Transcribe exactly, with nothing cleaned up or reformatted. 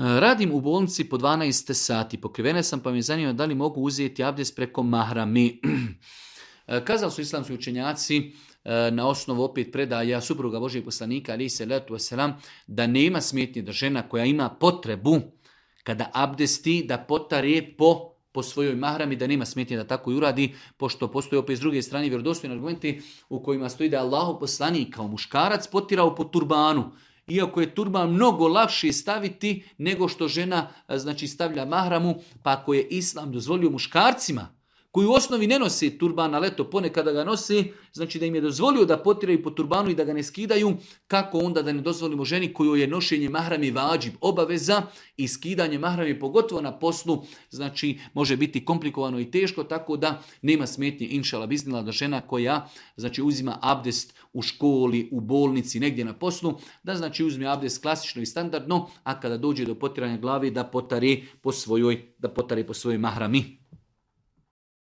Radim u bolnici po dvanaest sati, pokrivena sam pa me zanima da li mogu uzeti abdest preko mahrami. Kazali su islamski učenjaci na osnovu opet predaja supruga Božijeg poslanika alejhi selatu vesselam da nema smetnje da žena koja ima potrebu kada abdesti da potare po po svojoj mahrami, da nema smetnje da tako i uradi, pošto postoji opet s druge strane vjerodostojni argumenti u kojima stoji da je Allahov poslanik kao muškarac potirao po turbanu. Iako je turban mnogo lakše staviti nego što žena znači stavlja mahramu, pa ako je islam dozvolio muškarcima koji u osnovi ne nose turban, ali eto ponekada ga nose, znači da im je dozvolio da potiraju po turbanu i da ga ne skidaju, kako onda da ne dozvolimo ženi kojoj je nošenje mahrami vađib, obaveza i skidanje mahrami pogotovo na poslu, znači može biti komplikovano i teško, tako da nema smetnje inšala biznila da žena koja znači uzima abdest u školi, u bolnici, negdje na poslu, da znači uzme abdest klasično i standardno, a kada dođe do potiranja glave da potare po svojoj, da potare po svojoj mahrami.